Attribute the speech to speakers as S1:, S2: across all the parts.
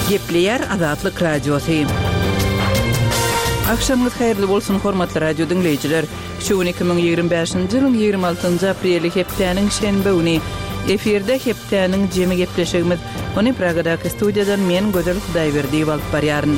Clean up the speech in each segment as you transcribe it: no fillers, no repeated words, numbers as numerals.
S1: Gepleýär Azatlyk Radiosy. Agşamyňyz haýyrly bolsun, hormatly radio diňleýjiler! Şu gün 2025-nji ýylyň 26-njy apreli hepdäniň şenbe güni. Efirde hepdäniň jemi gepleşigimiz. Ony Pragadaky studiýadan men Gözel Hudaýberdiýewa alyp barýaryn.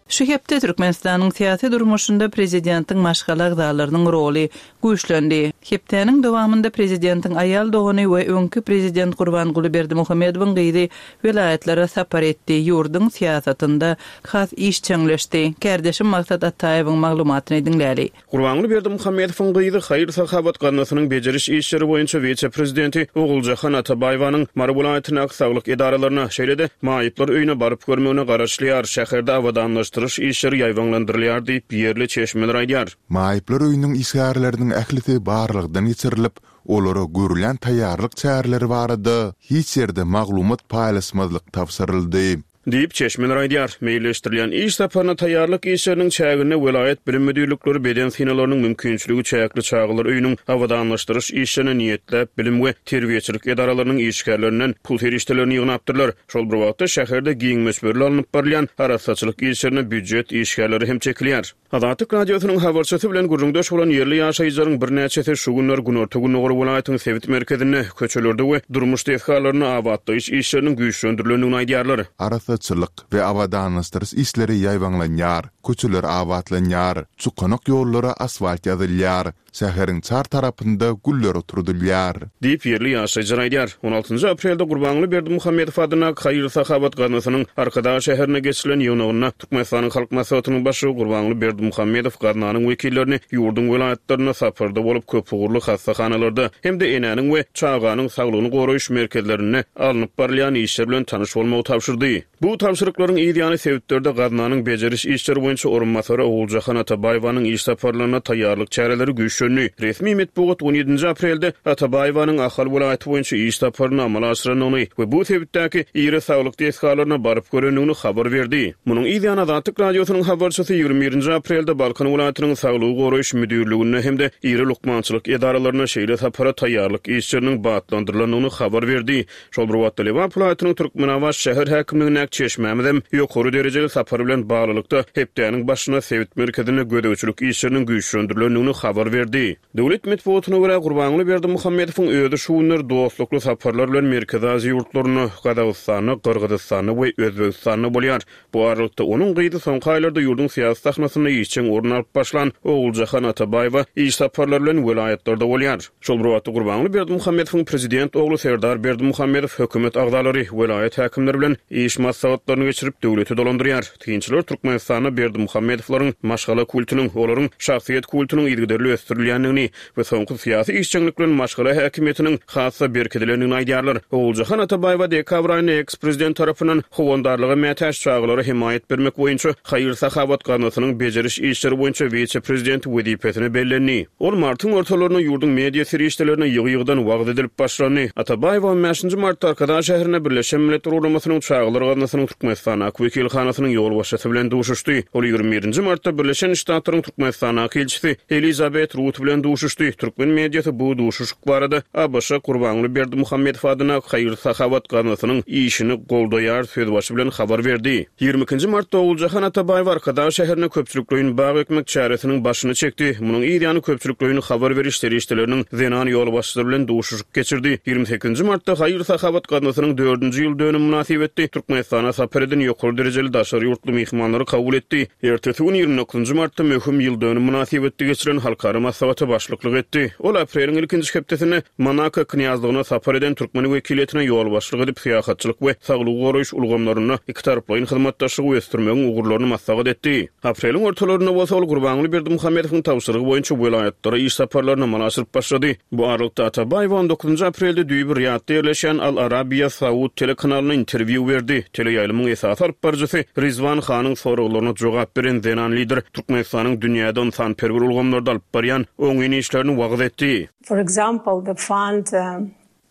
S1: Şu hepde Türkmenistanyň syýasy durmuşynda prezidentiň maşgala agzalarynyň roly güýçlendi. Hepdäniň dowamynda prezidentiň aýal dogany we öňki prezident Gurbanguly Berdimuhamedowyň gyzy welaýatlara sapar etdi, ýurduň syýasatynda has işjeňleşdi. Kärdeşim Maksat Ataýewiň maglumatyny diňläli.
S2: Gurbanguly Berdimuhamedowyň gyzy Haýyr-sahawat gaznasynyň bejeriş işleri boýunça wise-prezidenti Oguljahan Atabaýewanyň Mary welaýatyndaky saglyk edaralaryna, şeýle-de maýyplar öýüne baryp görmegine garaşylýar, şäherde abadanlaşdyryş işleri ýaýbaňlandyrylýar diýip, ýerli çeşmeler aýdýar.
S3: Maýyplar öýüniň işgärleriniň ählisi barlagdan geçirilip, olara görülýän taýýarlyk çäreleri barada hiç ýerde maglumat paýlaşmazlyk tabşyryldy.
S2: Diýip, çeşmeler aýdýar. Meýilleşdirilýän iş saparyna taýýarlyk işleriniň çäginde welaýat bilim müdirlikleri beden synalarynyň mümkinçiligi çäkli çagalar öýüniň abadanlaşdyryş işlerine niýetläp bilim we terbiýeçilik edaralarynyň işgärlerinden pul serişdelerini ýygnapdyrlar. Şol bir wagtda, şäherde giň möçberli alnyp barylýan arassaçylyk işlerine býujet işgärleri hem çekilýär. Azatlyk Radiosynyň habarçysy bilen gürrüňdeş bolan ýerli ýaşaýjylaryň birnäçesi şu günler günorta-gündogar welaýatyň sebit merkezinde, köçelerde we durmuş desgalarynda abatlaýyş işleriniň güýçlendirilendigini aýdýarlar.
S3: Arassaçylyk we abadanlaşdyryş işleri ýaýbaňlanýar, köçeler abatlanýar, çukanak ýollara asfalt ýazylýar, Şäheriň çar tarapynda güller oturdylýar.
S2: Diýip, ýerli ýaşaýjylar aýdýar. On altynjy aprelde Gurbanguly Berdimuhamedow adyndaky haýyr-sahawat gaznasynyň Arkadag şäherinde geçirilen ýygnagynda Türkmenistanyň Halk Maslahatynyň Başlygy Gurbanguly Berdimuhamedow gaznanyň wekillerini ýurduň welaýatlarynda saparda bolup, köpugurly hassahanalarda hem-de enäniň we çaganyň saglygyny goraýyş merkezlerinde alnyp barylýan işler bilen tanyş bolmagy tabşyrdy. Bu tabşyryklaryň yz ýany sebitlerde gaznanyň bejeriş işleri boýunça orunbasary Oguljahan Atabaýewanyň iş saparlaryna taýýarlyk çäreleri güýçlendi. Resmi metbugat on ýedinji aprelde Atabaýewanyň Ahal welaýaty boýunça iş saparyny amala aşyrandygyny we bu sebitdäki iri saglyk desgalaryna baryp görendigini habar berdi. Munuň yz ýany Azatlyk Radiosynyň habarçysy 21 nji aprelde Balkan welaýatynyň Saglygy goraýyş müdirliginde hem-de iri lukmançylyk edaralarynda şeýle sapara taýýarlyk işleriniň batlandyrylandygyny habar berdi. Şol bir wagtda, Lebap welaýatynyň Türkmenabat şäher häkimligindäki çeşmämizem ýokary derejeli sapar bilen baglylykda, hepdäniň başynda sebit merkezinde gözegçilik işleriniň güýçlendirilendigini habar berdi. Döwlet metbugatyna görä, Gurbanguly Berdimuhamedowyň özi şu günler dostlukly saparlar bilen Merkezi Aziýa ýurtlarynda, Gazagystanda, Gyrgyzystanda we Özbegistanda bolýar. Bu aralykda, onuň gyzy soňky aýlarda ýurduň syýasy sahnasynda işjeň orun alyp başlan Oguljahan Atabaýewa iş saparlary bilen welaýatlarda bolýar. Şol bir wagtda, Gurbanguly Berdimuhamedowyň prezident ogly Serdar Berdimuhamedow hökümet agzalary, welaýat häkimleri bilen iş maslahatlaryny geçirip, döwleti dolandyrýar. Synçylar Türkmenistanda Berdimuhamedowlaryň maşgala kultunyň, olaryň şahsyýet kultunyň yzygiderli ösdürilýändigini we soňky syýasy işjeňlik bilen maşgala häkimiýetiniň has-da berkidilendigini aýdýarlar. Oguljahan Atabaýewa dekabr aýynda eks-prezident tarapyndan howandarlyga mätäç çagalara hemaýat bermek boýunça haýyr-sahawat gaznasynyň bejeriş işleri boýunça wise-prezidenti wezipesine bellendi. Ol martyň ortalarynda ýurduň media serişdelerinde ýygy-ýygydan wagyz edilip başlandy. Atabaýewa on bäşinji martda Arkadag şäherinde Birleşen Milletler Guramasynyň Çagalar gaznasynyň Türkmenistandaky wekilhanasynyň ýolbaşçysy bilen duşuşdy. Ol 21 nji martda Birleşen Ştatlaryň Türkmenistandaky ilçisi Elizabet Rut bilen duşuşdy. Türkmen mediasy bu duşuşyk barada ABŞ Gurbanguly Berdimuhamedow adyndaky haýyr-sahawat gaznasynyň işini goldaýar sözbaşy bilen habar berdi. 22 nji martda Oguljahan Atabaýewa Arkadag şäherinde köpçülikleýin bag ekmek çäresiniň başyny çekdi. Munuň yz ýany köpçülikleýin habar beriş serişdeleriniň zenan ýolbaşçylary bilen duşuşyk geçirdi. 28 nji martda Haýyr-sahawat gaznasynyň dördünji ýyl dönümi mynasybetli Türkmenistana sapar eden ýokary derejeli daşary ýurtly myhmanlary kabul etdi. Ertesi gün 29 nji martda möhüm ýyl dönüm mynasybetli geçirilen halkara maslahata başlyklyk etdi. Ol apreliň ilkinji hepdesinde Monako Knýazlygyna sapar eden türkmen wekiliýetine ýolbaşçylyk edip, syýahatçylyk we saglygy goraýyş ulgamlarynda ikitaraplaýyn hyzmatdaşlygy ösdürmegiň ugurlaryny maslahat etdi. Apreliň ortalarynda bolsa ol Gurbanguly Berdimuhamedowyň tabşyrygy boýunça welaýatlara iş saparlaryny amala aşyryp başlady. Bu aralykda Atabaýewa on dokuzynjy aprelde düýbi Riýadda ýerleşýän Al Arabiýa saud telekanalyna interwýu berdi. Teleýaýlymyň esasy alypbaryjysy Rizwan Hanyň soraglaryna jogap beren zenan lider Türkmenistanyň dünýäde ynsanperwer ulgamlarda alyp barýan oňyn işlerini wagyz etdi.
S4: For example, the fund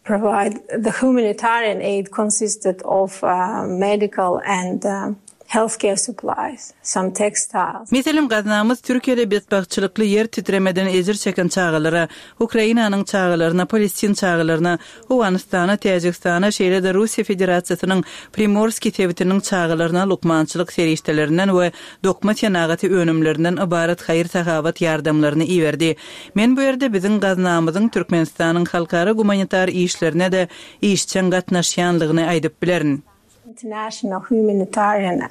S4: provide the humanitarian aid consisted of medical and. Healthcare supplies, some textiles.
S1: Meselem, gaznamyz Türkiýede betbagtçylykly ýer titremeden ejir çeken çagalara, Ukrainanyň çagalaryna, palestin çagalaryna, Owganystana, Täjigistana, şeýle-de Russiýa Federasiýasynyň Primorskiý sebitiniň çagalaryna lukmançylyk serişdelerinden we dokma senagaty önümlerinden ybarat haýyr-sahawat ýardamlaryny iberdi. Men bu ýerde biziň gaznamyzyň Türkmenistanyň halkara gumanitar işlerine-de işjeň gatnaşýanlygyny aýdyp bilerin.
S4: International humanitarian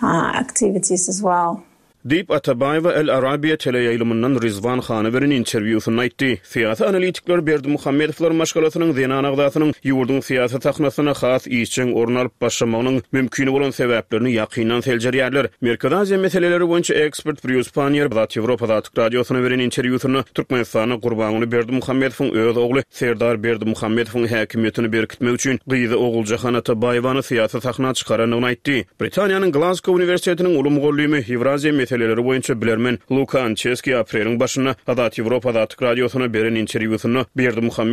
S4: activities as well.
S2: Diýip, Atabaýewa Al Arabiya teleýaýlymyndan Rizwan Hana beren interwýusynda aýtdy. Syýasy analitikler Berdimuhamedowlar maşgalasynyň zenan agzasynyň ýurduň syýasy sahnasynda has işjeň orun alyp başlamagynyň mümkin bolan sebäplerini ýakyndan seljerýärler. Merkezi Aziýa meseleleri boýunça ekspert Brýus Panniýer Azat Ýewropa Azatlyk Radiosyna beren interwýusynda Türkmenistanda Gurbanguly Berdimuhamedowyň öz ogly Serdar Berdimuhamedowyň häkimiýetini berkitmek üçin gyzy Oguljahan Atabaýewany syýasy sahna çykarandygyny aýtdy. Britaniýanyň Glazgo uniwersitetiniň uly mugallymy, Ýewraziýa meseleleri boýunça bilermen Luka Ançeski apreliň başynda Azat Ýewropa Azatlyk Radiosyna beren interwýusynda Berdimuhamedow.